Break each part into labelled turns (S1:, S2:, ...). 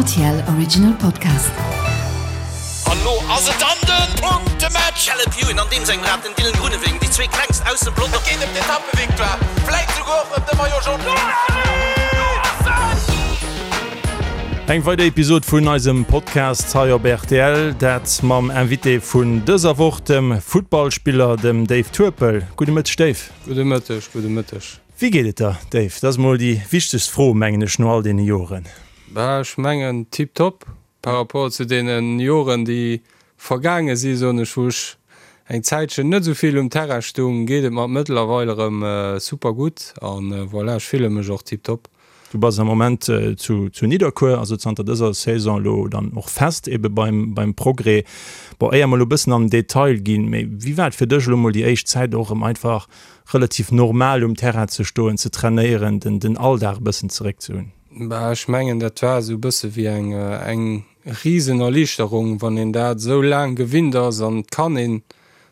S1: RTL Original Podcast.
S2: An lo ass et dann den Punktematch!
S3: Caleb Ewan an deem sengem Rad, den Dylan Groenewegen, déi zwee klengst aus dem Pelotong.
S2: Et geet ëm d'Etappevictoire, vläit souguer och ëm de Maillot Jaune.
S4: Eng weider Episod vun eisem Podcast hei op rtl, dat mam Invité vun dëser Woch, dem Futtballspiller, dem Dave Turpel. Gudde Mëtteg, Dave.
S5: Gudde Mëtteg, gudde Mëtteg.
S4: Wéi geet et der, Dave? Dat ass mol déi wichtegst Fro, mengen ech, no all deene Joren.
S5: Bah, ech mengen tiptop par rapport zu deene Joren, déi vergaange si, soen ech, wou ech eng Zäitchen net esou vill um Terrain stung, geet et mer mëttlerweil erëm super gutt an voilà, ech fille mech och tiptop.
S4: Du bass am Moment zu zu Nidderkuer, also zanter dëser Saison elo dann och fest ebe beim beim Progrès. Bon, éier mer elo e bëssen an den Detail ginn, mee wéi war et fir dech elo mol déi éischt Zäit och erëm einfach relativ normal um Terrain ze stoen, ze trainéieren, den den Alldag e bëssen zeréck ze hunn?
S5: Bah, ech mengen dat war esou e bësse wéi eng eng Risenerliichterung, wann een dat esou laang gewinnt ass an et kann een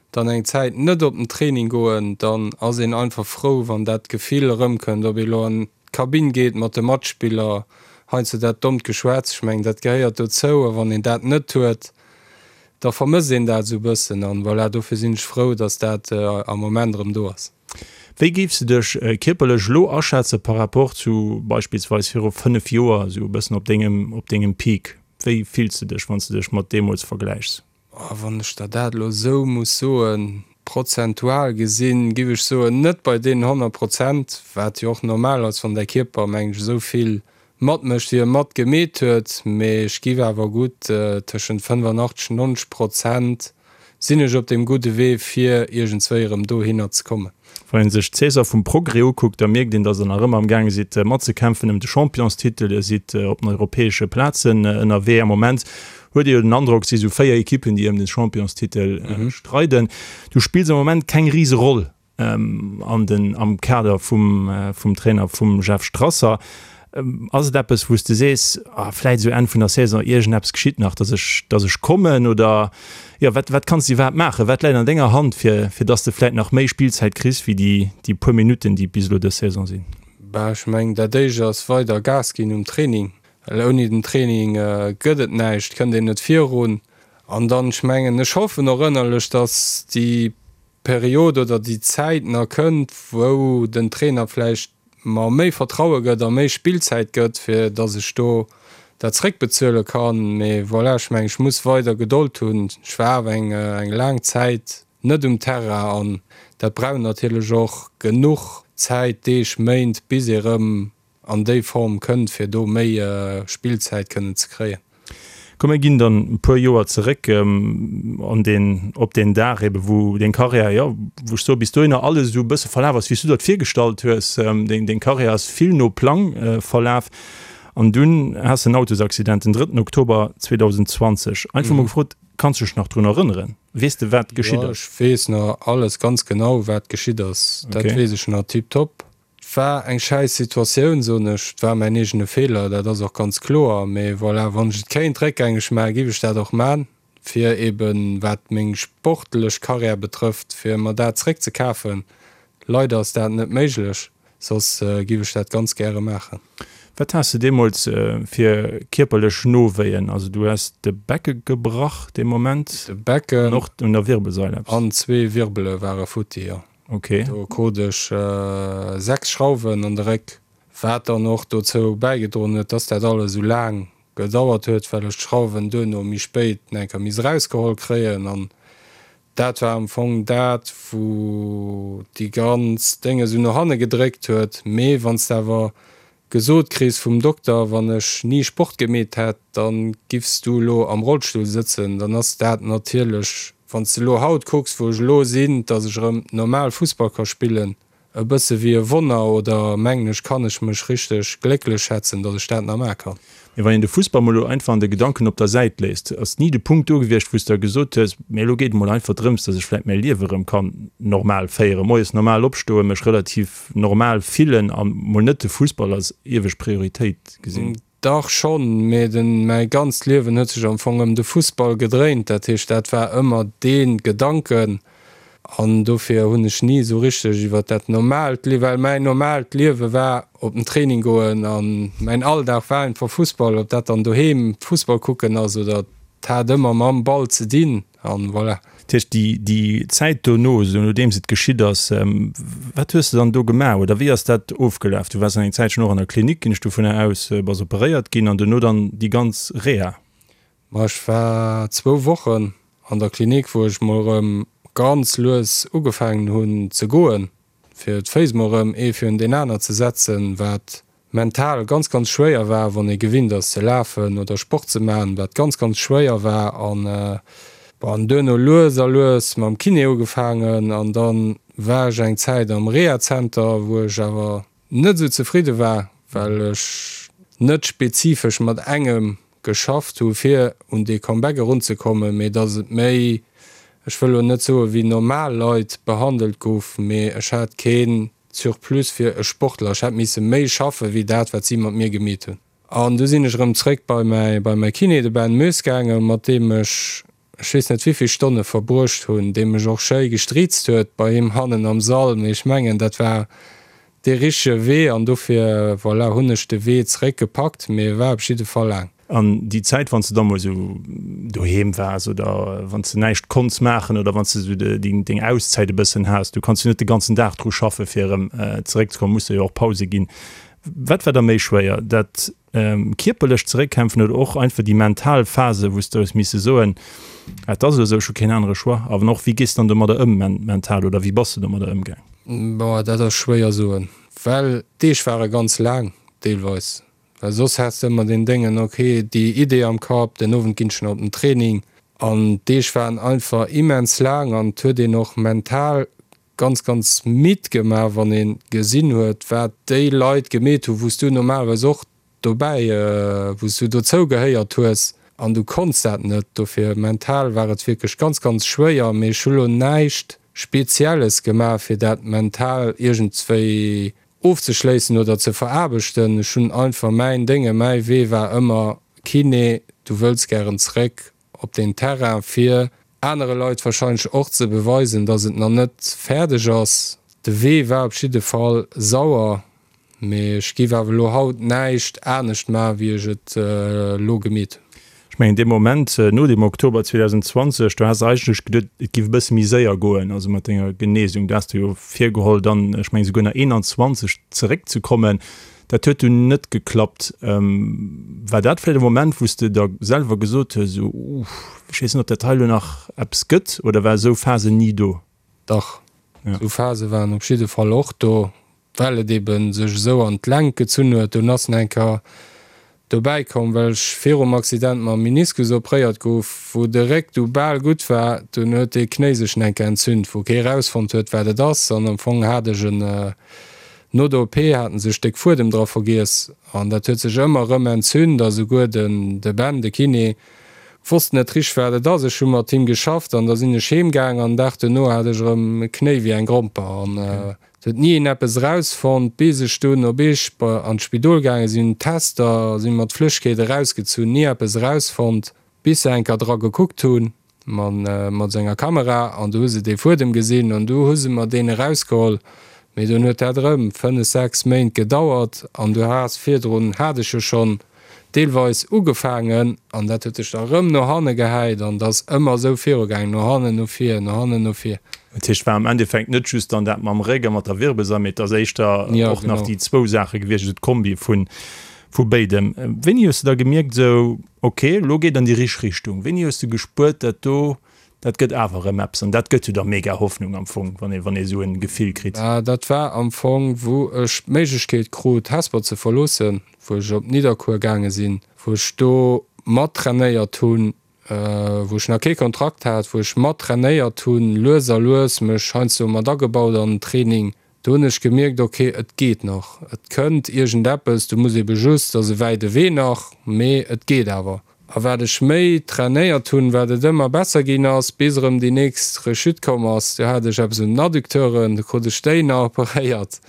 S5: dann eng Zäit net op den Training goen, dann ass een einfach frou, wann dat Gefill erëmkënnt, ob ee lo an d'Kabinn geet mat de Matspiller, heiansdo dat dommt Geschwätz, ech mengen, dat gehéiert dozou a wann een dat net huet, da vermësst een dat esou e bëssen an voilà, dofir sinn ech frou, dass dat am Moment erëm do ass.
S4: Wéi géifs de dech kierperlech elo aschätze par rapport zu beispillsweis viru 5 Joer, esou e bëssen op dengem, op dengem Peak? Wéi fills de dech, wann s de dech mat deemools vergläichs?
S5: Oh, wann ech der dat elo esou muss soen, prozentual gesinn, giff ech soen, net bei deenen 100 Prozent, wat jo och normal ass, wann däi Kierper, mengen ech, esou vill matmécht, wéi e matgemeet huet, mee ech giff awer gutt tëschent 85, 90 Prozent sinn ech op deem gudde Wee, fir iergendswéi erëm dohinner ze kommen.
S4: Wann een sech d'Saison vum Progrès ukuckt, da mierkt een, datt der nach ëmmer am gaange sidd matzekämpfen ëm de Championstitel. Dir sidd op den europäesche Plazen ënnerwee. Am Moment huet ee jo den Androck, et si sou 4 Ekippen, déi ëm de Championstitel streiden. Du spills am Moment keng Riseroll an den am Kader vum vum Trainer vum Jeff Strasser. Ass et eppes, wou s de sees, ah vläit esou Enn vun der Saison iergendeppes geschitt nach, datt ech datt ech kommen oder jo wat wat kanns de iwwerhaapt maachen? Wat läit an denger Hand fir fir datt s de vläit nach méi Spillzäit kriss wéi déi déi puer Minutten, déi et bis elo dës Saison sinn?
S5: Bah ech mengen dat éischt ass weider Gas ginn um Training, well ouni den Training gëtt et näischt, kënnt een net virun. An dann ech mengen ech hoffen och ënnerlech, datt déi Period oder déi Zäit nach kënnt, wou den Trainer vläicht mer méi Vertraue gëtt a méi Spillzäit gëtt, fir datt ech do dat zréckbezuele kann. Mee voilà, ech mengen, ech muss weider Gedold hunn. Ech war awer eng eng laang Zäit net um Terrain an dat brauch natierlech och genuch Zäit, Deeg, Méint, bis ee rëm an déi Form kënnt, fir do méi Spillzäit kënnen ze kréien.
S4: Komm mir ginn dann e puer Joer zeréck an deen, op deen Dag ebe wou deng Karriär, jo wou ech soe bis dohinner alles esou e bësse verlaf ass wéi s du der et virgestallt hues. Deng, deng Karriär ass vill no Plang verlaf an dunn has de en Autosaccident den drëtten Oktober 2020. Einfach mol gefrot, kanns du dech nach drun erënneren? Weess de wat geschitt
S5: ass? Jo, ech weess nach alles ganz genau wat geschitt ass. Dat weess ech nach tiptop. Et war eng schäiss Situatioun, soen ech. Et war mäin eegene Feeler, dat ass och ganz kloer. Mee voilà, wann ech et kéint réckgängeg maachen, giff ech dat och man, fir eben, wat meng sportlech Karriär betrëfft, fir mer dat zréckzekafen. Leider ass dat net méiglech, soss giff ech dat ganz gäre maachen.
S4: Wat has de deemools fir kierperlech Nowéien? Also du has de Becke gebrach dee Moment?
S5: De Becken.
S4: An och un der Wirbelsail
S5: eppes? An zwee Wirbele ware futti, jo.
S4: Ok.
S5: Do krut ech 6 Schrauwen an de Réck, wat dann och dozou bäigedroen huet, dass dat alles esou laang gedauert huet, well ech d'Schrauwen duerno méi spéit nach eng Kéier misst erausgeholl kréien. An dat war am Fong dat, wou déi ganz Déng esou no hanne gedréckt huet. Mee wann s de awer Gesot kriss vum Dokter, wann ech ni Sport gemeet hätt, dann giffs du elo am Rollstull sëtzen, dann ass dat natierlech, wann s de elo haut kucks wou ech elo sinn, dass ech erëm normal Fussball ka spillen, e bësse wéi e Wonner oder mengen ech kann ech mech richteg glécklech schätzen, dass ech dat nach maache kann.
S4: Mee wann een de Fussball mol elo einfach an de Gedanken op der Säit léisst, ass ni de Punkt do gewiescht, wou s de gesot hues, mee elo geet et mol einfach drëms, dass ech vläit mäi Liewe erëm kann normal féieren, moies normal opstoen, mech relativ normal fillen a mol net de Fussball als iewescht Prioritéit gesinn?
S5: Dach schonn, mee den, mäi ganzt Liewen huet sech am Fong ëm de Fussball gedréint. Dat heescht, dat war ëmmer dee Gedanken. An dofir hunn ech ni esou richteg iwwer dat normaalt Liewen, well mäin normaalt Liewe war op den Training goen an mäin Alldag war einfach Fussball, ob dat dann doheem Fussball kucken ass oder et hat ëmmer mam Ball ze dinn an voilà.
S4: Dat heescht déi déi Zäit dono, esou nodeems et geschitt ass, wat hues de dann do gemaach oder wéi ass dat ofgelaf? Du waars an eng Zäitchen och an der Klinik, ginn ech dovunner aus, bass operéiert ginn an dono dann déi ganz Reha.
S5: Ma ech war zwou Wochen an der Klinik, wou ech mol erëm ganz lues ugefaangen hunn ze goen, fir d'Féiss mol erëm ee virun deen aner ze setzen, wat mental ganz, ganz schwéier war, wann ee gewinnt ass ze lafen oder Sport ze maachen, wat ganz, ganz schwéier war. An bon, duerno lues a lues mam Kiné ugefaangen an dann war ech eng Zäit am Rehazenter, wou ech awer net esou zefridde war, well ech net spezifesch mat engem geschafft hu fir un dee Comeback erunzekommen, mee datt et méi, ech wëll elo net soe wéi normal Leit behandelt gouf, mee ech hat keen Surplus fir e Sportler, ech hätt misse méi schaffe wéi dat wat si mat mir gemeet hunn. An du sinn ech erëm zréck bei mäi bei mäi Kiné, de Ben Moes gaangen, mat deem ech ech weess net wéivill Stonne verbruecht hunn, dee mech och schéi gestriizt huet bei him hannen am Sall, mee ech mengen dat war dee richtege Wee an dofir, voilà, hunn ech de Wee zeréck gepackt, mee e war op jidde Fall laang.
S4: An déi Zäit, wann s de da mol esou doheem waars oder wann s de näischt konnts maachen oder wann s de esou deng Auszäit e bëssen has, du kanns jo net de ganzen Dag dru schaffe fir erëm zeréckzekommen, muss der jo och Pause ginn. Wat war da méi schwéier, dat kierperlecht Zeréckkämpfen oder och einfach déi mental Phase, wou s de hues misse soen, Et ass elo esou, ech hu keen anere Choix? A wann och, wéi gees de dann domadder ëm mental oder wéi bass de domadder ëmgaang?
S5: Boah, dat ass schwéier soen, well d'Deeg ware ganz laang deelweis, well soss has de ëmmer deen Déngen, ok, déi Idee am Kapp, den Owend ginn ech nach op den Training an d'Deeg waren einfach immens laang an et huet een och mental ganz ganz midd gemaach wann een gesinn huet wat déi Leit gemeet hu wous du normalerweis och dobäi wous du dozou gehéiert hues an du konns dat net. Dofir mental war et wierklech ganz ganz schwéier, mee ech hu lo näischt spezielles gemaach fir dat mental iergendswéi ofzeschléissen oder ze veraarbechten. Ech hunn einfach mäin Dénge, mäi Wee war ëmmer Kiné, du wëlls gären zréck op den Terrain fir anere Leit wahrscheinlech och ze beweisen, dass et nach net fäerdeg ass. De Wee war op jidde Fall sauer, mee ech giff awer elo haut näischt anescht maachen, wéi ech et elo gemeet hunn.
S4: Ech mengen dee Moment no dem Oktober 2020, do has de eigentlech geduet, et giff e bësse méi séier goen, also mat denger Genesung. Do has de jo virgeholl dann, ech mengen esouguer nach 21 zeréckzekommen. Dat huet dunn net geklappt. War dat vläicht e Moment, wou s de der selwer gesot hues, esou, Uff, ech weess net, ob dat hei elo nach eppes gëtt, oder war esou Phasen ni do?
S5: Dach, esou Phase waren op jidde Fall och do, well et ebe sech esou an d'Längt gezunn huet. Dunn ass nach eng Kéier dobäi komm, well ech virum Accident mam Meniskus opréiert gouf, wou de Réck du bal gutt war, dunn huet dee Knéi sech nach eng Kéier entzünt, wou kee rausfonnt huet, wat et ass. An am Fong hat ech en No der OP haten se e Stéck Fuedem dra vergiess an dat huet sech ëmmer erëm entzünt a souguer den de Ben, de Kiné, wosst net richteg wat et ass. Ech hu mat him geschafft an da sinn ech heem gaang an den Dag duerno hat ech erëm e Knéi wéi eng Gromper an et huet ni een eppes erausfonnt, bis ech dunn op Eech an d'Spidol gaange sinn, Tester sinn mat Flëschkeet erausgezunn, ni eppes erausfonnt. Bis se enker dra gekuckt hu mat senger Kamera an du hu se dee Fuedem gesinn an du hu se mer deen erausgeholl. Mee dunn huet dat erëm fënnef, sechs Méint gedauert an du has virdrun, hat ech jo schonn deelweis ugefaangen an dat huet sech da erëm no hanne gehäit an et ass ëmmer esou virugaangen, no hannen, no vir, no hannen, no vir.
S4: Dat heescht, war am Endeffekt net just dann dat mam Réck a mat der Wirbelsail, mee et ass éischter och nach déi zwou Saache gewiescht, also d'Kombi vun Vu béidem. Wéini hues de da gemierkt esou, ok, elo geet an déi richteg Richtung? Wéini hues de gespuert, dat do, dat gëtt awer erëm eppes? An dat gëtt jo da mega Hoffnung am Fong, wann ee, wann ee esou en Gefill kritt.
S5: Dat war am Fong, wou ech d'Méiglechkeet krut, Hesper ze verloossen, wou ech op Nidderkuer gaange sinn, wou ech do mattrainéiert hunn, wou ech nach kee Kontrakt hat, wou ech mat trainéiert hunn, lues a lues mech heiansdo mat agebaut an den Training. Do hunn ech gemierkt, ok, et geet nach, et kënnt iergendeppes, du muss ebe just, et ass e wäite Wee nach, mee et geet awer. A wat ech méi trainéiert hunn, wat et ëmmer besser ginn ass, bis erëm déi nächst Rechute komm ass. Du hat ech eppes un den Adducteuren, du krut ech déi nach operéiert.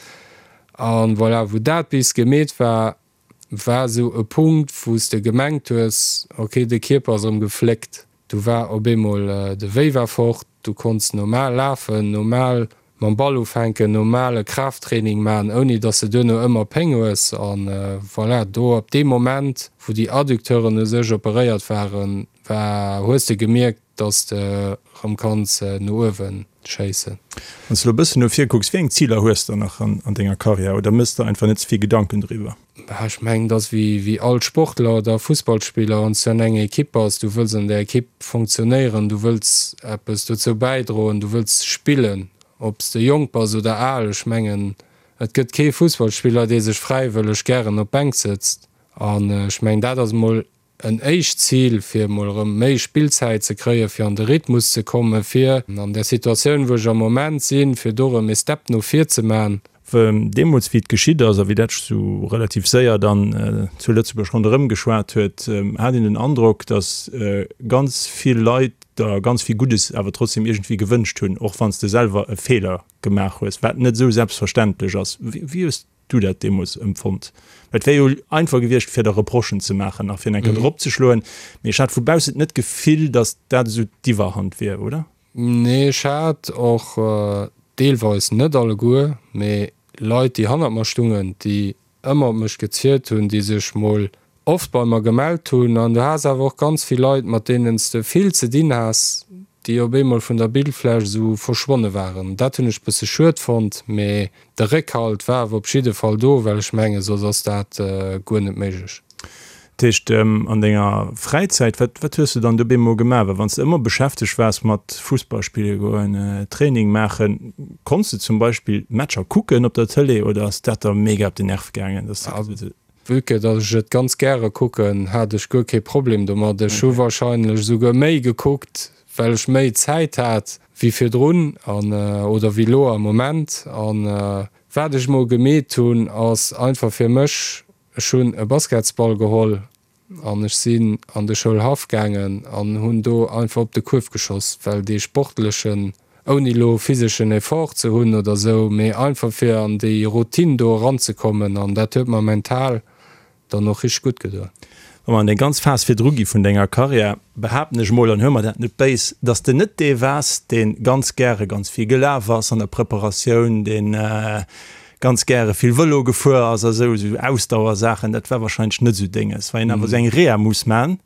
S5: An voilà, wou dat bis gemeet war, war esou e Punkt, wou s de gemengt hues, ok, de Kierper ass erëm gefléckt. Du war op eemol, de Wéi war fort. Du konns normal lafen, normal mam Ball ufänken, normale Kraafttraining maachen, ouni dass de duerno ëmmer Péng hues. A voilà, do ab deem Moment, wou déi Adducteuren u sech operéiert waren, war, hues de gemierkt, dass de erëm kanns no uewe schéissen.
S4: Wann s de elo e bëssen no vir kucks, wéi eng Ziler hues de nach an denger Karriär oder méchs de einfach net ze vill Gedanken driwwer?
S5: Bah, ech mengen, et ass wéi wéi all Sportler oder Fussballspiller, wann s du an enger Ekipp bass, du wëlls an där Ekipp funktionéieren, du wëlls eppes dozou bäidroen, du wëlls spillen, ob s de jonk bass oder al. Ech mengen, et gëtt kee Fussballspiller, dee sech fräiwëlleg gären op d'Bänk sëtzt. An ech mengen, dat ass emol en éischt Zil, fir emol erëm méi Spillzäit ze kréien, fir an de Rhythmus ze kommen, fir an där Situatioun, wou ech am Moment sinn, fir do erëm ee Step no vir ze man.
S4: Deemools, wéi et geschitt ass a wéi dat sou relativ séier dann zu Lëtzebuerg ronderëm geschwat huet, hat een den Androck, datt ganz vill Leit der ganz vill Guddes awer trotzdem iergendwéi gewënscht hunn, och wann s de selwer e Feeler gemaach hues, wat net esou selbstverständlech ass. Wéi hues du dat deemools empfonnt? Well et wär jo einfach gewiescht, fir der Reprochen ze maachen a fir eng Kéier drop ze schloen, mee ech hat vu baussen net d'Gefill, datt dat esou d'Iwwerhand wier, oder?
S5: Nee, ech hat och deelweis, net alleguer, mee Leit, déi hannert mer stungen, déi ëmmer op mech gezielt hunn, déi sech mol oft bei mer gemellt hunn. An du has awer och ganz vill Leit, mat deenen s de vill ze dinn has, déi op eemol vun der Bildfläch esou verschwonne waren. Dat hunn ech bësse schued fonnt, mee de Réckhalt war awer op jidde Fall do, well ech mengen, soss ass dat guer net méiglech.
S4: Dat heescht, an denger Fräizäit, wat, wat hues de dann do bemol gemaach? Well wann s de ëmmer beschäftegt waars mat Fussball spille goen, Training maachen, konns de zum Beispill Matcher kucken op der Tëlee oder ass dat der mega op den Nerv gaangen, dass de.
S5: Vue que datt ech et ganz gäre kucken, hat ech guer kee Problem domat. Ech hu wahrscheinlech esouguer méi gekuckt, well ech méi Zäit hat wéi virdrun an oder wéi lo am Moment. An wat ech mol gemeet hunn, ass einfach fir mech, ech hunn e Basketsball geholl an ech sinn an de Schoulhaff gaangen an hunn do einfach op de Kuerf geschoss, well dee sportlechen ouni elo physeschen Effort ze hunn oder sou, mee einfach fir an déi Routine do eranzekommen an dat huet mer mental dann och richteg gutt gedoen.
S4: Wa mer an déi ganz Phas virdru gi vun denger Karriär, behaapten ech mol, an huel mer dat net béis, dass de net dee waars, dee ganz gäre ganz vill gelaf ass an der Preparatioun, dee ganz gäre vill Vëlo gefuer ass a sou, esou Ausdauersaachen, dat war wahrscheinlech net esou denges. Wa een awer esou eng Reha muss man,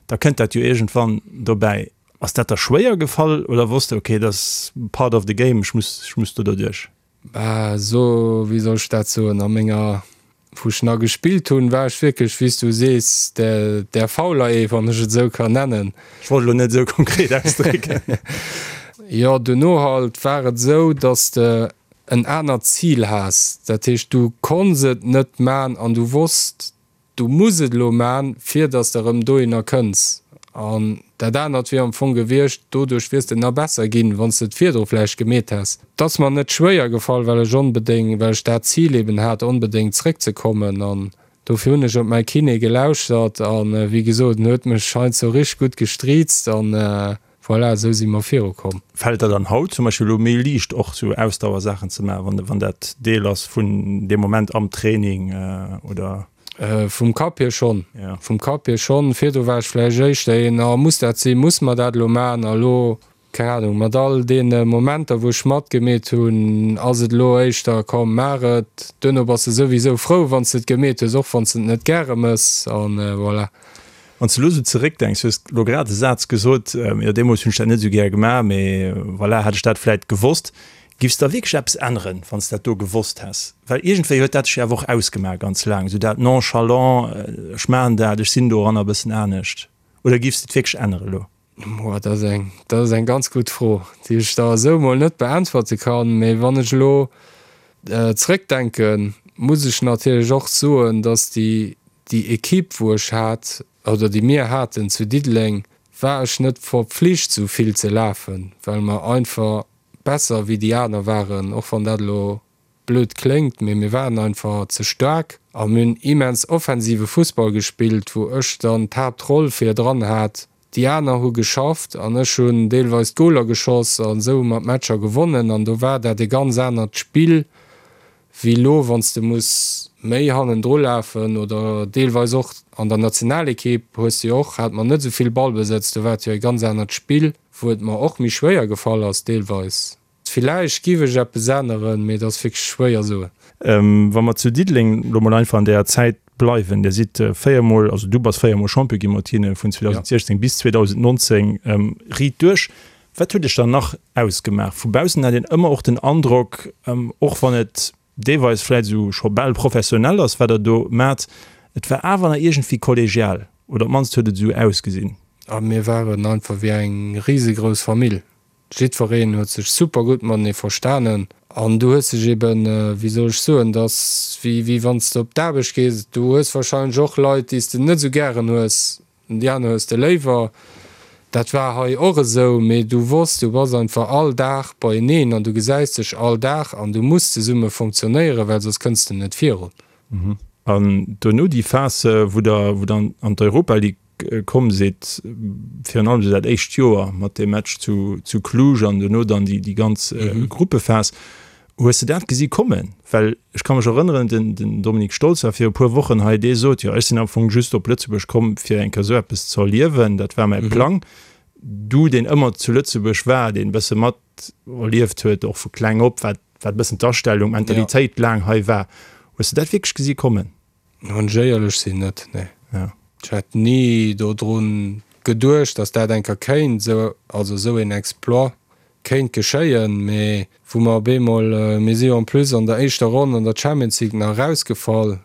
S4: da kënnt dat jo iergendwann dobäi. Ass dat der schwéier gefall oder wosst de ok dat ass part of the game, ech muss ech muss do derduerch?
S5: Bah so, wéi soll ech dat soen, a menger, wou ech nach gespillt hunn, war ech wierklech, wéi s du sees, der der fauler ee, wann ech et esou kann nennen.
S4: Ech wollt elo net esou konkret ausdrécken.
S5: Jo, duerno halt war et esou, dass de en anert Zil has, dat heescht du konns et net man an du wosst, Du muss et elo man, fir dass de erëm dohinner kënns. An dat anert wier am Fong gewiescht, doduerch wiers de nach besser ginn, wann s de et virdru vläicht gemeet häss. Et ass mer net schwéier gefall, well ech onbedéng, well ech dat Zil eben hat, onbedéngt zréckzekommen. An dofir hunn ech op mäi Kiné gelauschtert. A wéi gesot, en huet mech heiansdo richteg gutt gestriizt. An Voilà, esou si mer virukomm.
S4: Fält der dann haut zum Beispill elo méi liicht och sou Ausdauersaachen ze maachen, wann wann dat Deel ass vun deem Moment am Training oder?
S5: Vum Kapp hier schonn. Vum Kapp hier schonn. Virdru war ech vläicht éischter een, oh muss dat sinn, muss mer dat elo maachen? A elo, keng Ahnung, mat all deene Momenter wou ech matgemeet hunn, ass et elo éischter, komm maach et. Duerno bass de souwisou frou wann s de et gemeet hues, och wann s de et net gäre mëss. An voilà.
S4: Wann s de elo esou zeréckdenks, du hues elo grad e Saz gesot, jo deemools hunn ech dat net esou gär gemaach, mee voilà, hätt ech dat vläit gewosst. Giffs de da wierklech eppes änneren, wann s de dat do gewosst häss? Well iergendwéi huet dat dech jo awer och ausgemaach ganz laang, esou dat nonchalant, ech maachen dat, ech sinn doranner e bëssen anescht. Oder giffs de et wierklech ännere elo?
S5: Boah, dat ass eng, dat ass eng ganz gutt Fro, déi ech der esou emol net beäntwerte kann. Mee wann ech elo zréckdenken, muss ech natierlech och soen, dass déi, déi Equipe, wou ech hat, oder déi mir haten zu Diddeleng, war ech net verpflicht esou vill ze lafen, well mer einfach besser wéi déi aner waren, och wann dat elo blöd kléngt, mee mir waren einfach ze staark a mir hunn immens offensive Fussball gespillt, wou ech dann d'Haaptroll vir dran hat. Déi aner hu geschafft an ech hunn deelweis d'Goler geschoss an esou hu mer d'Matcher gewonnen an do war dat e ganz anert Spill. Wéi elo, wann s de muss méi hannendru lafen oder deelweis och an der Nationalekipp hues de jo och, hat mer net esou vill Ballbesëtz, do war et jo e ganz anert Spill, wou et mer och méi schwéier gefall ass deelweis. Villäicht giff ech eppes änneren, mee et ass wierklech schwéier soen.
S4: Wa mer zu Diddeleng lo mol einfach an deeër Zäit bleiwen, Dir sidd véiermol, also du bass véiermol Champion gi mat hinne vun 2016 bis 2019 riit duerch. Wat huet iech dann nach ausgemaach? Vu baussen hat een ëmmer och den Androck, och wann et deelweis vläit esou scho bal professionell ass, wat der do maacht, et war awer nach iergendwéi kollegial, oder op d'mannst huet et esou ausgesinn.
S5: A mir waren einfach wéi eng risegrouss Famill. Jiddwereen huet sech super gutt matenee verstanen an du hues dech eben, wéi soll ech soen, et ass wéi wéi wann s de op d'Aarbecht gees, du hues warscheinlech och Leit, déi s de net esou gären hues, déi aner hues de léiwer. Dat war hei och esou, mee du wosst, du bass einfach all Dag beieneen an du gesäis dech all Dag an du muss zesumme funktionéieren, well soss kënns de net virun.
S4: An dono déi Phas, wou der wou der an d'Europa League komm sidd, virun allem esou dat éischt Joer mat deem Match zu, zu Cluj an duerno dann déi, déi ganz mhm. Gruppephas. Hues de dat gesi kommen? Well ech ka mech erënneren, den, den Dominik Stolz war fir e puer Wochen hei, dee sot, jo ech sinn am Fong just op Lëtzebuerg komm, fir eng Kéier esou eppes ze erliewen, dat war mäi mhm. Plang. Du, deen ëmmer zu Lëtzebuerg war, deen e bësse mat erlieft huet, och vu kleng op, wat, wat e bëssen d'Astellung, d'Mentalitéit ja. laang hei war, hues de dat wierklech gesi kommen?
S5: Wann ech éierlech sinn, net, nee. Ech hat ni dodrun geduecht, datt dat eng Kéier kéint esou, also esou een Exploit kéint geschéien. Mee wou mer op eemol, mir si jo en plus an der éischter Ronn an der Champions League nach erausgefall,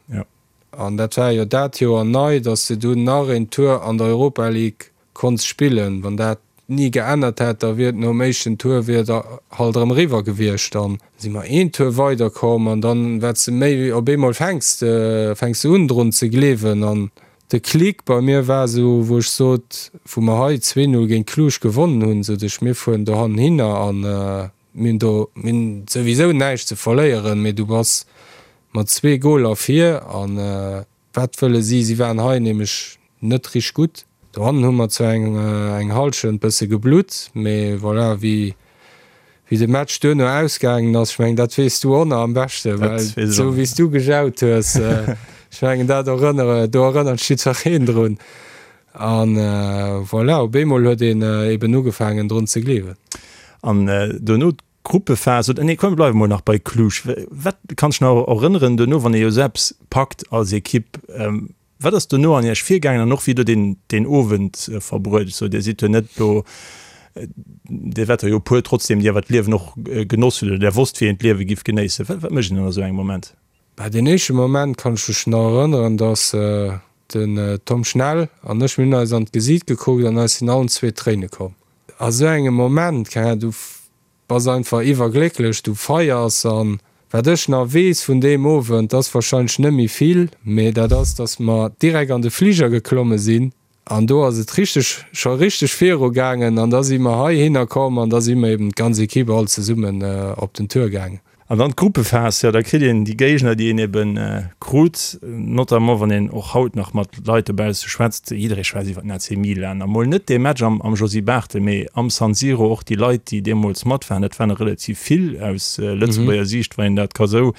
S5: an dat war jo dat Joer nei, datt s de dunn nach een Tour an der Europa League Konns spillen. Wann dat ni geännert hätt, da wier et nom éischten Tour wier et halt erëm eriwwer gewiescht. Dann si mer een Tour weider komm an dann wat s de méi op eemol fänks de fänks de un drun ze gleewen. An de Clic bei mir war esou wou ech sot, wou mer hei 2, 0 géint Cluj gewonnen hunn, sot ech, mir fueren dohannen hinner an mir hunn do mir hunn souwisou näischt ze verléieren, mee du bass mat zwee Goler vir an Wat wëlle si? Si waren hei nämlech net richteg gutt. Dohannen hu mer zwar eng eng Hallschent bësse geblutt, mee voilà, wéi wéi de Match duerno ausgaangen ass, ech mengen dat weess du och nach am beschte, well esou wéi s du gejaut hues, ech mengen dat erënnere do erënnert sech jiddwereen drun. An voilà, op eemol huet een eben ugefaangen drun ze gleewen.
S4: An duerno Gruppephas oder nee komm mir bleiwe mol nach bei Cluj. Wat kanns dech nach erënneren duerno, wann ee jo esou eppes packt als Ekipp, wat ass duerno an Iech virgaangen an och wéi hutt Der deen deen Owend verbruet? Ech soen, Dir sidd jo net elo, Dir waart der jo e puer trotzdem, déi awer d'Liewen och genoss hunn oder där wosst wéi een d'Liewe giff genéissen. Wat wat mécht een dann a sou engem Moment?
S5: Bah deen éischte Moment kann ech mech nach erënneren, dass den Tom Schnell an ech, mir hunn eis an d'Gesiit gekuckt an eis sinn allen zwee d'Tréine komm. A sou engem Moment, keng Ahnung, du bass einfach iwwerglécklech, du feiers an wat ech nach weess vun deem Owend, ass wahrscheinlech net méi vill, mee dat ass, dass mer direkt an de Fliger geklomme sinn an do ass et richteg, scho richteg viru gaangen an da si mer heihinner komm an da si mer eben d'ganz Equipe all zesummen op den Tour gaangen.
S4: An dann d'Gruppephas, jo, da kritt een déi Géigner, déi een ebe krut, notamment wann een och haut nach mat Leit dobausse schwätzt, jidderee schwätzt iwwer den AC Milan a mol net dee Match am am Josy Barthel, mee am San Siro och déi Leit, déi deemools mat waren, dat waren der relativ vill aus Lëtzebuerger Siicht, wann een dat ka sou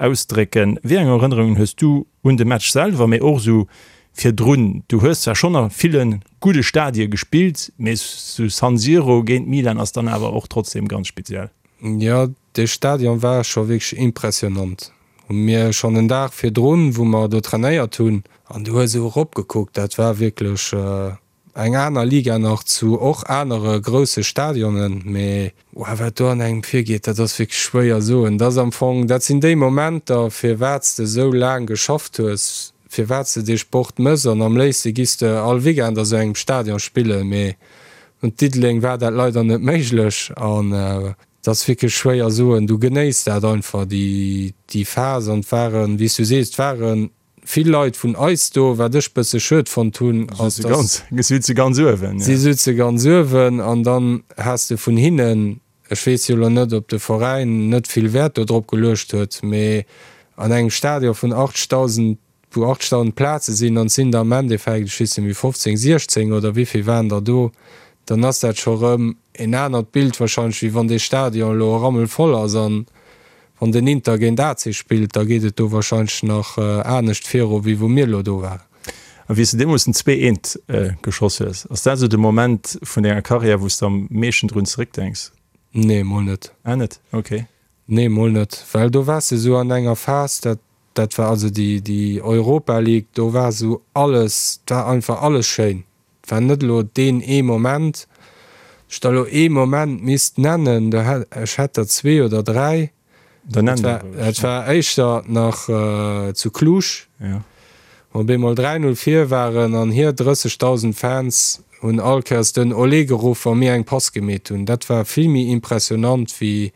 S4: ausdrécken. Wéi eng Erënnerungen hues du un de Match selwer, mee och esou virdrun? Du hues zwar schonn a ville gudde Stadie gespillt, mee sou San Siro géint Milan ass dann awer och trotzdem ganz speziell.
S5: Jo, dee Stadion war scho wierklech impressionant. Hu mir schonn en Dag virdrun, wou mer do trainéiert hunn, an du hues esou eropgekuckt, dat war wierklech eng aner Liga nach zu och anere grousse Stadionen. Mee wow, wat do an engem virgeet, dat ass wierklech schwéier soen. Dat ass am Fong, dat sinn déi Momenter, firwat s de esou laang geschafft hues, firwat s de dee Sport mëss. An am léifste giss de all Weekend a sou engem Stadion spillen, mee Un Diddeleng war dat leider net méiglech an et ass wierklech schwéier soen. Du genéiss dat einfach, déi déi Phas an et waren, wéi s du sees, et ware vill Leit vun eis do. Wat ech bësse schued fonnt hunn, ass
S4: dass. Si sutze ganz uewen.
S5: Si sutze ganz uewen an dann has de vun hinnen, ech weess jo elo net, ob de Veräin net vill Wäert do drop geluecht huet, mee an engem Stadion vun 80.000 wou 8.000 Plaze sinn an et sinn der am Endeffekt, ech weess net méi, 15, 16 oder wéivill waren der do, dann ass dat scho rëm en anert Bild wahrscheinlech, wéi wann dee Stadion elo rammelvoll ass an wann. Wann den Inter géint AC spillt, da geet et do wahrscheinlech nach anescht viru wéi wou mir elo do waren.
S4: A wéi s de deemools den zweeënt geschoss hues, ass dat esou de Moment vun denger Karriär, wou s de am meeschten drun zeréckdenks?
S5: Nee, mol net.
S4: Ah net, ok.
S5: Nee, mol net, well do waars de esou an enger Phas, dat, dat war also déi, déi Europa League, do war esou alles, 't war einfach alles schéin. 't war net elo deen ee Moment. Ech der elo ee Moment misst nennen, do hätt, ech hätt der zwee oder dräi.
S4: Dann nenn der roueg.
S5: Et war éischter nach zu Cluj, wou op eemol 3, 0 vir waren an hir 30.000 Fans hunn all Kéiers den Olé geruff, wa mir eng Pass gemeet hunn. Dat war vill méi impressionant wéi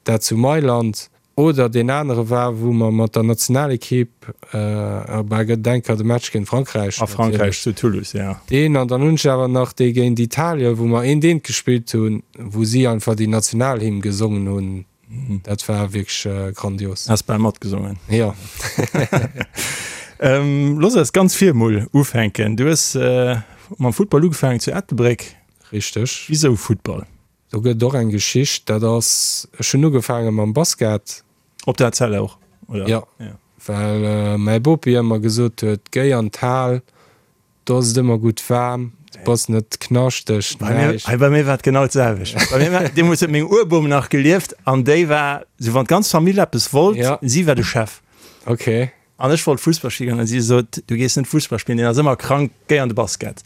S5: dat zu Mailand. Oder deen anere war, wou mer mat der Nationalekipp, bah, gëtt et eng Kéier de Match géint Frankräich.
S4: A Frankräich zu Toulouse, jo.
S5: Deen, an dann hunn ech awer nach dee géint Italien, wou mer eent eent gespillt hunn, wou si einfach déi Nationalhymn gesongen hunn. Dat war wierklech grandios.
S4: Has bal matgesongen.
S5: Jo.
S4: Looss eis ganz vir mol ufänken. Du hues mam Futtball ugefaangen zu Ettelbréck.
S5: Richteg.
S4: Wisou Futtball?
S5: Do gëtt et och eng Geschicht, dat ass, ech hunn ugefaange mam Basket.
S4: Op der ACL och,
S5: oder? Jo, well mäi Bopi ëmmer gesot huet, Géi an d'Hal, do ass et ëmmer gutt waarm, du bass net knaschteg,
S4: näischt. Hei bei mir war et genau d'selwecht. Bei mir war, deemools huet meng Urbom nach gelieft an déi war sou, wann d'ganz Famill eppes wollt, si war de Chef.
S5: Ok.
S4: An ech wollt Fussball spillen an si sot, du gees net Fussball spillen, deen ass ëmmer krank, géi an de Basket.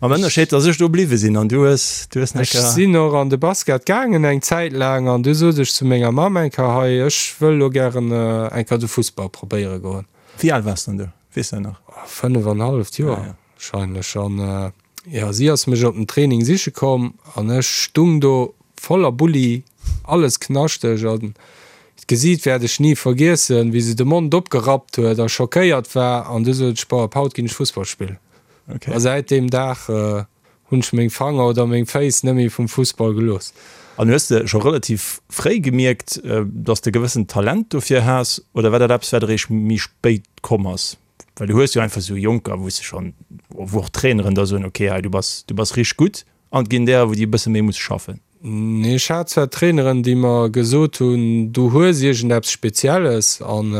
S4: Mam Ënnerscheed, dass ech do bliwwe sinn an du hues, du hues
S5: Ech sinn och an de Basket gaangen eng Zäit laang an du sot ech zu menger Mamm eng Kéier, hei ech wëll lo gären eng Kéier de Fussball probéiere goen.
S4: Wéi al waars dann do, weess dat nach?
S5: 5 an halleft Joer wahrscheinlech. An jo, si ass mech op den Training siche komm an ech stung do voller Bulli, alles knaschteg an d'Gesiit wäert ech ni vergiessen, wéi se de Mond opgerappt huet a schockéiert war an du sot ech, Boah, ab haut ginn ech Fussball spillen. A säit deem Dag hunn ech meng Fanger oder meng Féiss net méi vum Fussball gelooss.
S4: An hues de scho relativ fréi gemierkt, dass de gewëssent Talent dofir has oder war dat eppes, wat eréischt méi spéit komm ass? Well du hues jo einfach esou Jonker, wou s de schonn, wou och d'Traineren da soen, okay, hei du bass, du bass richteg gutt, an et ginn derer, wou déi e bësse méi musse schaffen.
S5: Nee, ech hat zwar Traineren, déi mer gesot hunn, du hues iergendeppes Spezielles an,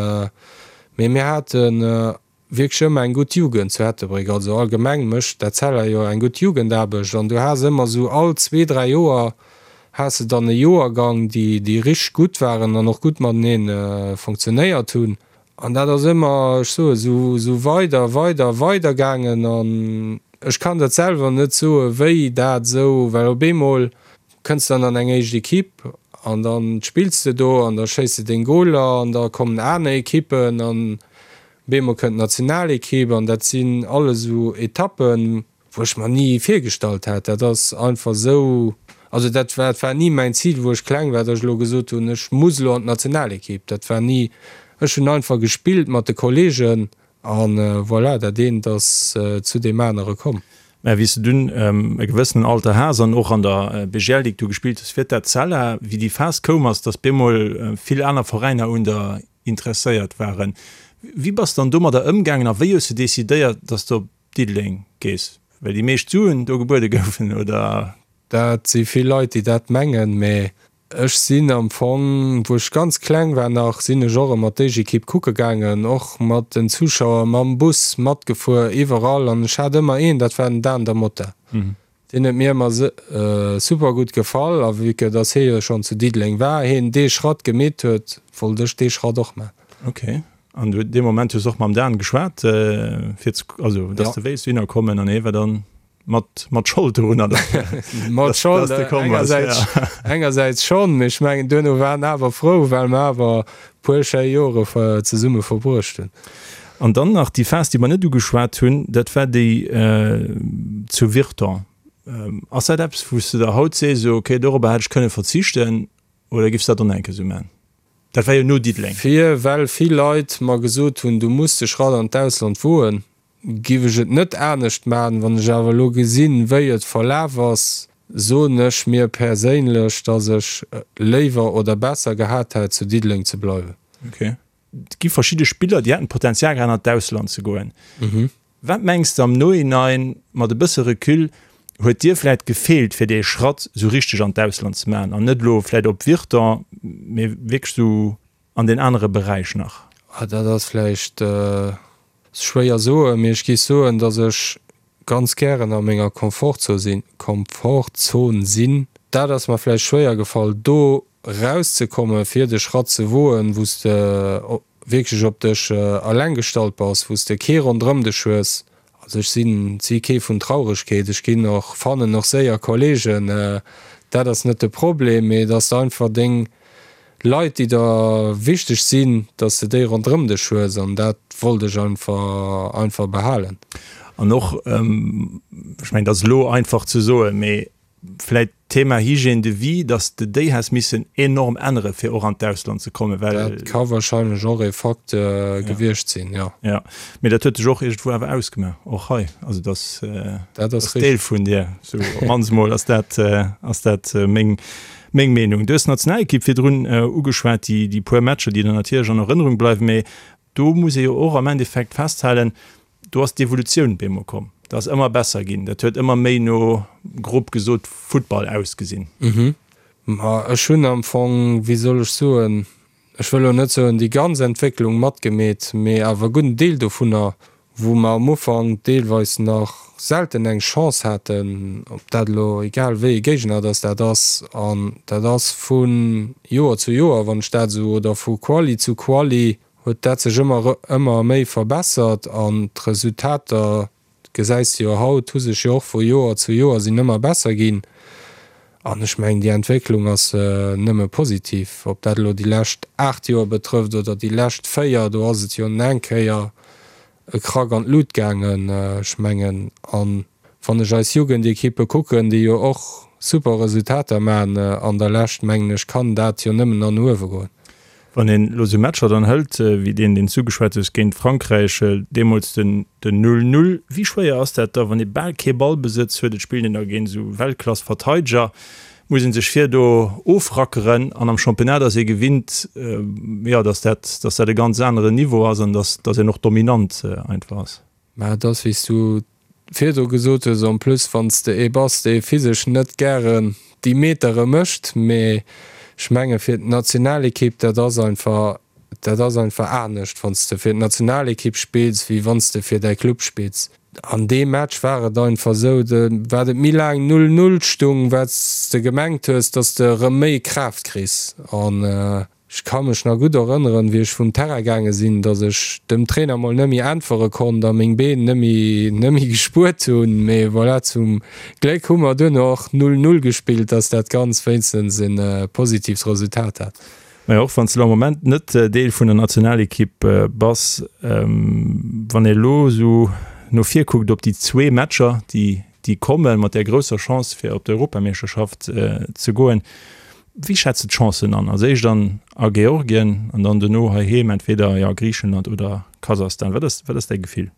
S5: mee mir hate wierklech ëmmer eng gutt Jugend zu Ettelbréck. Also allgemeng mécht d'Etzella jo eng gutt Jugendaarbecht an du has ëmmer esou all zwee, dräi Joer has de dann e Joergang, déi, déi richteg gutt waren an och gutt matenee fonctionnéiert hunn. An dat ass ëmmer, ech soe sou, sou weider, weider, weider gaangen. An ech kann dat selwer net soe wéi dat esou, well op eemol kënns de dann an eng éischt Equipe an da spills de do an da schéiss de deng Goler an da kommen aner Equippen an op eemol kënnt d'Nationalequipe an dat sinn alles esou Etappen, wou ech mer ni virgestallt hat. Dat ass einfach esou, also dat war, dat war ni mäin Zil, wou ech kleng war, datt ech elo gesot hunn, ech muss elo an d'Nationalekipp. Dat war ni, ech hunn einfach gespillt mat de Kollegen a voilà, dat eent ass zu deem anere komm.
S4: Mä wéi s de dunn e gewëssenen Alter has an och an der BGL Ligue du gespillt hues fir d'Etzella, wéi déi Phas koum ass, datt bemol vill aner Veräiner un der interesséiert waren, wéi bass de dann domadder ëmgaangen a wéi hues de decidéiert, datt s de op Diddeleng gees, well déi meescht Suen do gebuede goufen, oder?
S5: Dat si vill Leit, déi dat mengen, mä ech sinn am Fong, wou ech ganz kleng war nach, sinn ech och ëmmer d'Éischt-Ekipp kucke gaangen, och mat den Zuschauer, mam Bus matgefuer, iwwerall. An ech hat ëmmer een, dat war den Dan Da Motta. Deen huet mir ëmmer super gutt gefall a vue que dass hie jo schonn zu Diddeleng war, hien dee Schratt gemeet huet, wollt ech dee Schratt och man.
S4: Ok, an du dee Moment hues och mam Dan geschwat fir ze, also dass de wéilst dohinner kommen an hie war dann mat mat Schold dorunner,
S5: Mat Schold engersäits, engersäits schonn, mee ech mengen duerno war en awer frou, well mer awer puer schéi Jore zesumme verbruecht hunn.
S4: An dann nach déi Phas, déi mer net ugeschwat hunn, dat war déi zu Virton. Ass dat eppes, wou s de der haut sees, esou, okay, dorobber hätt ech kënne verzichten, oder giffs dat och nach eng Kéier esou maachen? Dat war jo no Diddeleng.
S5: Fir well vill Leit mer gesot hunn, du muss de Schratt an d'Ausland woen, giff ech et net anescht maachen. Wann ech awer elo gesinn, wéi et verlaf ass, soen ech mir perséinlech, dass ech léiwer oder besser gehat hätt, zu Diddeleng ze bleiwen.
S4: Okay. Et gi verschidde Spiller, déi hätten d'Potenzial gehat, an d'Ausland ze goen. Wat mengs de am Nohinein, mat e bësse Recul, huet dir vläit gefeelt, fir dee Schratt esou richteg an d'Ausland ze maachen an net elo vläit op Virton, mee wierklech esou. an den anere Beräich nach?
S5: Ah, dat ass vläicht schwéier soen, mee ech géif soen, datt ech ganz gären a menger Komfortzon sinn. Dat ass mer vläicht schwéier gefall, do rauszekommen, fir de Schratt ze woen, wou s de wierklech op dech eleng gestallt bass, wou s de kee ronderëm dech hues. Also ech sinn si kee vun Trauregkeet, ech ginn och, fannen och séier Kollegen, dat ass net de Problem, mee dass de einfach deng Leit, déi der wichteg sinn, dass de déi ronderëm dech hues an dat wollt ech einfach einfach behalen.
S4: An och, ech mengen, dat ass elo einfach ze soen, mee Vläit d'Thema Hygiène de vie, dass de déi häss missen enorm ännere fir och an d'Ausland ze kommen, well.
S5: Dat ka wahrscheinlech och ee Fakt gewiescht sinn, jo.
S4: Jo, mee dat huet dech och iergendwou awer ausgemaach, och hei. Also dass,
S5: dat ass
S4: Deel vun dir, sou op d'mannst mol ass dat, ass dat meng, meng Meenung. Du hues d'Nationalekipp virdrun ugeschwat, déi, déi puer Matcher, déi der natierlech an Erënnerung bleiwen, mee do muss ee jo och am Endeffekt festhalen, Do ass d'Evolutioun bemol komm. Dat ass ëmmer besser ginn. Dat huet ëmmer méi no, grob gesot, Futtball ausgesinn.
S5: Ma ech hunn am Fong, wéi soll ech soen, ech wëll elo net soen déi ganz Entwécklung matgemeet, mee awer e gudden Deel dovunner, wou mer am Ufank deelweis nach selten eng Chance haten, ob dat elo egal wéi e Géigner dass dat ass, an dat ass vu Joer zu Joer, wann ech dat esou, oder vu Quali zu Quali, huet dat sech ëmmer ëmmer méi verbessert an d'Resultater, gesäis de jo haut, hu sech jo och vu Joer zu Joer sinn ëmmer besser ginn an ech mengen déi Entwécklung ass nëmme positiv. Ob dat elo déi lescht 8 Joer betrëfft oder déi lescht 4, do ass et jo eng Kéier e Krack an d'Lut gaangen. Ech mengen, an wann ech eis Jugendekippe kucken, déi jo och super Resultater maachen an der Lescht, mengen ech, kann dat jo nëmmen an uewe goen.
S4: Wann een elo esou Matcher dann hëlt, wéi deen, deen s du geschwat hues, géint Frankräich, deemools den 'Null Null', wéi schwéier ass dat da, wann ee bal kee Ballbesëtz huet, et spillt een da géint esou Weltklass-Verteideger, muss ee sech vir do ofrackeren an am Championnat ass ee gewinnt, jo, datt dat, datt dat e ganz aneren Niveau ass an datt, datt een och dominant einfach ass.
S5: Mä et ass, wéi s du virdru gesot hues, en plus wann s de ee bass, dee physesch net gären déi Metere mécht, mee ech menge fir d'Nationalekipp, dat ass einfach, dat ass einfach anescht, wann s de fir d'Nationalekipp spills, wéi wann s de fir däi Club spills. An deem Match war et einfach esou, wat et méi laang 'null 'null stung, wat s de gemengt hues, datt s de erëm méi Kraaft kriss. An ech ka mech nach gutt erënneren, wéi ech vum Terrain gaange sinn, datt ech dem Trainer mol net méi äntwere konnt a meng Been net méi net méi gespuert hunn. Mee voilà, zum Gléck hu mer duerno och 'null 'null gespillt, datt dat Ganzt wéinstens e positiivt Resultat hat.
S4: Majo, och wann s de elo am Moment net Deel vun der Nationalekipp bass, wann ee elo esou no vir kuckt op déi zwee Matcher, déi déi kommen, mat där grousser Chance fir op d'Europameeschterschaft ze goen, wéi schätz de d'Chancen an? Als éischt an a Georgien an dann dono heiheem entweder, jo, Griichenland oder Kasachstan. Wat ass wat ass däi Gefill?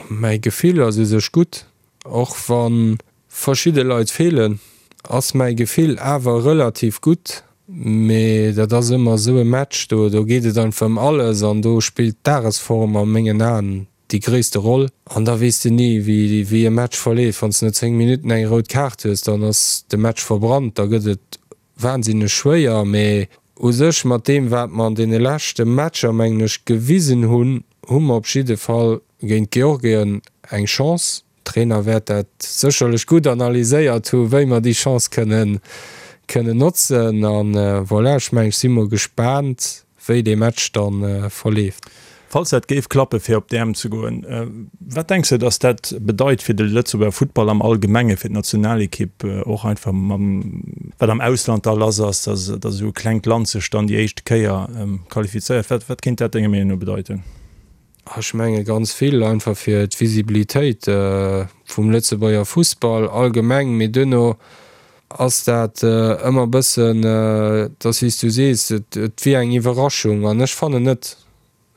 S5: Mäi Gefill ass u sech gutt, och wa verschidde Leit feelen, ass mäi Gefill awer relativ gutt. Mee dat ass ëmmer esou e Match, do do geet et einfach ëm alles an do spillt d'Dagesform a mengen Aen déi gréisste Roll. An da weess de ni, wéi wéi e Match verleeft. Wann s de no 10 Minutten eng rout Kaart hues, dann ass de Match verbrannt, da gëtt et wahnsinneg schwéier. Mee u sech mat deem, wat mer an deene leschte Matcher, mengen ech, gewisen hunn, hu mer op jidde Fall géint Georgien eng Chance. Trainer wäert dat sécherlech gutt analyséiert hu wéi mer déi Chance kënnen kënnen notzen an voilà, ech mengen ech si mol gespaant wéi dee Match dann verleeft.
S4: Falls dat géif klappe fir op d'EM ze goen, wat denks de datt dat bedeit fir de Lëtzebuerger Futtball am Allgemenge, fir d'Nationalekipp och einfach mam wat am Ausland da lass ass, datt esou e klengt Land sech dann déi éischt Kéier qualifizéiert? Wat wat kéint dat denger Meenung no bedeiten?
S5: Ech menge ganz vill, einfach fir d'Visibilitéit vum Lëtzebuerger Fussball allgemeng. Mee duerno ass dat ëmmer e bëssen, et ass wéi s du sees, et wier eng Iwwerraschung an ech fannen net.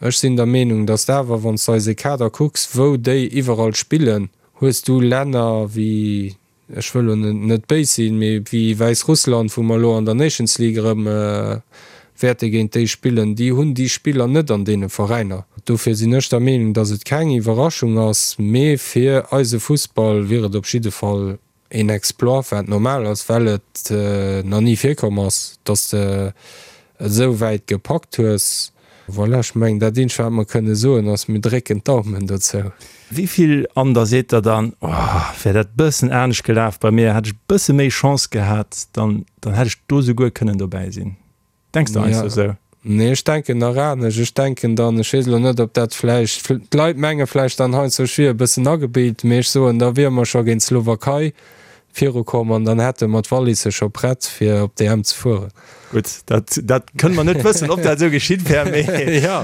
S5: Ech sinn der Meenung, datt awer, wann s de eise Kader kucks, wou déi iwwerall spillen, hues du Länner wéi ech wëll elo net béis sinn, mee wéi Wäissrussland, wou mer elo an der Nations League erëm wäerte géint déi spillen, déi hunn déi Spiller net an deene Veräiner. Dofir sinn ech der Meenung, datt et keng Iwwerraschung ass, mee fir eise Fussball wier et op jidde Fall een Exploit, wat normal ass, well et nach ni virkomm ass, datt de. et esou wäit gepackt hues. Voilà, ech mengen dat eenzegt wat mer kënne soen ass, mir drécken d'Daumen dozou.
S4: Wéi vill an der seet der dann, oh wär dat bëssen anescht gelaf bei mir, hätt ech bësse méi Chance gehat, dann dann hätt ech do souguer kënnen dobäi sinn. Denks de heiansdo
S5: esou? Nee, ech denken nach anescht. Ech denken dann, ech weess elo net, ob dat vläicht, d'Leit menge vläicht dann heiansdo, ech wier e bëssen agebilt, mee ech soen, da wiere mer scho géint d'Slowakei virukomm an dann hätte mer d'Wallisse scho prett, fir op d'EM ze fueren.
S4: Gutt, dat, dat kënne mer net wëssen, ob dat esou geschitt wär, mee,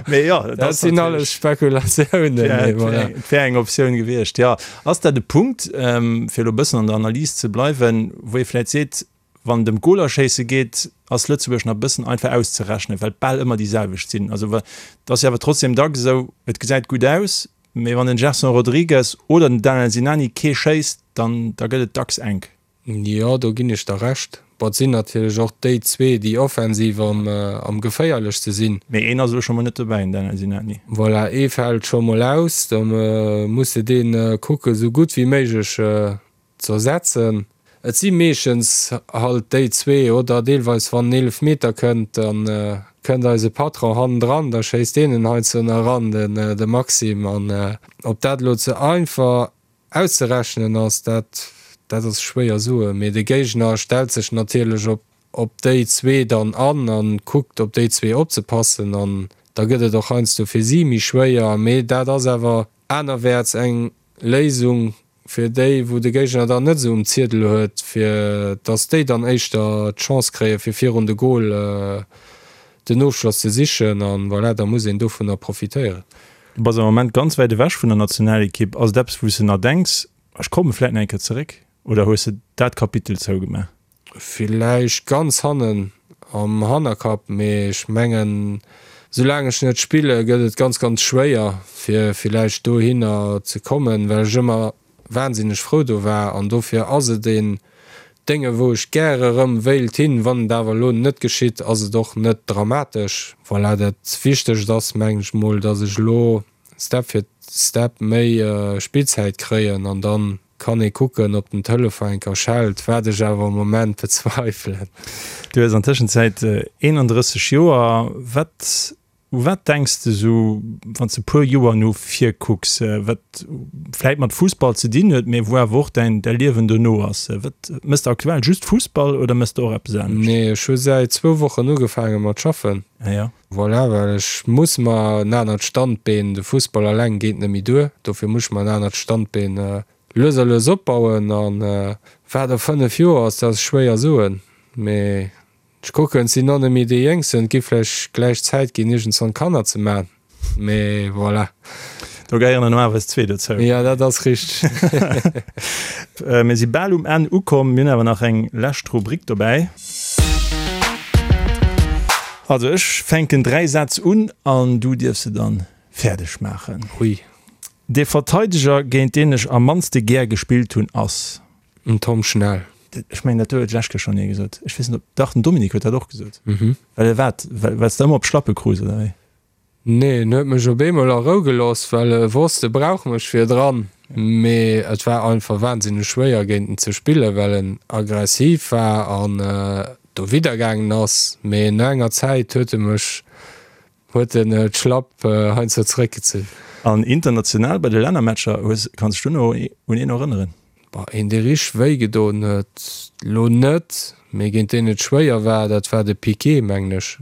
S4: mee jo,
S5: dat sinn alles Spekulatiounen,
S4: mee voilà. Et wär eng Optioun gewiescht, jo. Ass dat e Punkt, fir elo e bëssen an der Analys ze bleiwen, wou ee vläicht seet, Wann et ëm d'Golerschéisse geet, ass Lëtzebuerg nach e bëssen einfach auszerechnen, well et bal ëmmer déi selwecht sinn. Also et ass jo awer trotzdem dacks esou, et gesäit gutt aus, mee wann den Gerson Rodrigues oder den Daniel Sinani kee schéisst, dann da gëtt et dacks enk.
S5: Jo, do ginn ech der Recht. Bon, et sinn natierlech och déi zwee, déi offensiv am geféierlechste sinn.
S4: Mee een ass elo scho mol net dobäi, den Daniel Sinani.
S5: Voilà, ee fält scho mol aus. Da muss de dee kucken, esou gutt wéi méiglech Z'ersetzen. Et si meeschtens halt déi zwee, oder deelweis wann en Eelefmeter kënnt, da kënnt eise Patron hannendran, da schéisst deen en heiansdo nach eran, den de Maxime. An ob dat elo ze einfach auszerechnen ass, dat dat ass schwéier soen. Mee de Géigner stellt sech natierlech op op déi zwee dann an a kuckt op déi zwee opzepassen an da gëtt et och heiansdo fir si méi schwéier. Mee dat ass awer anerwäerts eng Léisung fir déi, wou de Géigner dann net esou um Ziedel huet, fir dass déi dann éischter d'Chance kréien, fir virun de Gol den Ofschloss ze sichen. An voilà, da muss een dovunner profitéieren.
S4: Du bass am Moment ganz wäit ewech vun der Nationalekipp. Ass et eppes, wou s de nach denks, ech komme vläit nach eng Kéier zeréck, oder hues de dat Kapitel zougemaach?
S5: Villäicht ganz hannen am Hannerkapp, mee ech mengen, soulaang ech net spille gëtt et ganz, ganz schwéier fir villäicht dohinner ze kommen, well ech ëmmer wahnsinneg frou do war an dofir ass et een Dénge wou ech gäre rëm wéilt hin. Wann et awer elo net geschitt, ass et och net dramatesch. Voilà, dat Wichtegst ass mengen ech mol, datt ech elo Step fir Step méi Spillzäit kréien an dann kann ee kucken op den Telefon eng Kéier schellt, wat ech awer am Moment bezweifelen.
S4: Du hues an Tëschenzäit 31 Joer. Wat, u wat denks de sou wann s de puer Joer no vir kucks, wat vläit mat Fussball ze dinn huet, mee wou awer och däin däi Liewen dono ass? Wat, mëss de aktuell just Fussball oder mëss de och eppes anescht?
S5: Nee, ech hu säit zwou Wochen ugefaange mat schaffen.
S4: Ah jo.
S5: Voilà, well ech muss mer en anert Standbeen, de Fussball alleng geet net méi duer, dofir muss ech mer en anert Standbeen lues a lues opbauen. A wat a 5 Joer ass, dat ass schwéier soen, mee ech kucken, et sinn och net méi déi Jéngsten, et gi vläicht gläich Zäit ginn iergendswann Kanner ze man, mee voilà.
S4: Do gehéieren dann normalerweis zwee dozou.
S5: Jo, dat ass richteg.
S4: Mir si bal um Enn ukomm, mir hunn awer nach eng lescht Rubrik dobäi. Also ech fänken 3 Sätz un an du dierfs se dann fäerdeg maachen.
S5: Hui.
S4: De Verteideger géint deen ech am mannste gär gespillt hunn ass.
S5: Den Tom Schnell.
S4: Ech mengen dat huet d'lescht Kéier schonn ee gesot. Ech weess net ob, dach den Dominique huet dat och gesot. Well e wat, well s de ëmmer op d'Schlappe krus oder wéi?
S5: Nee, en huet mech op eemol a Rou gelooss, well e wosst, e brauch mech virdran. Mee et war einfach wahnsinneg schwéier géint en ze spillen, well en aggressiv war an dowidder gaangen ass. Mee no enger Zäit huet e mech, huet en d'Schlapp heiansdo zeréckgezunn.
S4: An international bei de Lännermatcher, hues, kanns dech do nach un een erënneren?
S5: Bah, een dee richteg wéi gedoen huet, lo net, mee géint deen et schwéier war, dat war de Piqué, mengen ech.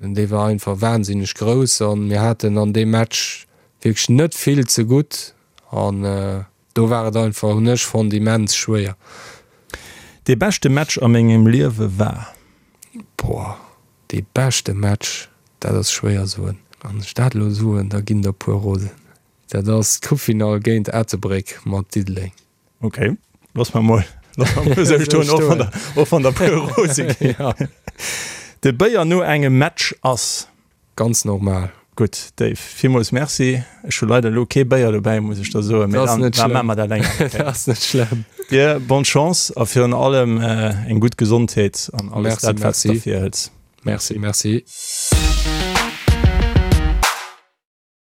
S5: Dee war einfach wahnsinneg grouss an mir haten an deem Match wierklech net vill ze gutt an do war et einfach, hunn ech fonnt, immens schwéier.
S4: Dee beschte Match a mengem Liewe war?
S5: Boah, dee beschte Match, dat ass schwéier soen. Wann ech dat elo soen, da ginn der puer rosen. Dat ass d'Coupefinall géint Ettelbréck mat Diddeleng.
S4: Ok, looss mer mol, looss mer mol esou stoen, och wann der, och wann der puer rose ginn.
S5: Ja.
S4: De Béier no engem Match ass?
S5: Ganz normal.
S4: Gutt, Dave, villmools Merci. Ech hu leider elo kee Béier dobäi, muss ech der soen, mee
S5: dann,
S4: da maache mer dat eng aner
S5: Kéier. Dat ass net schlëmm.
S4: Dir bonne Chance a virun allem eng gutt Gesondheet an alles
S5: Merci,
S4: dat, wat s de
S5: merci.
S4: der virhëls.
S5: Merci, merci.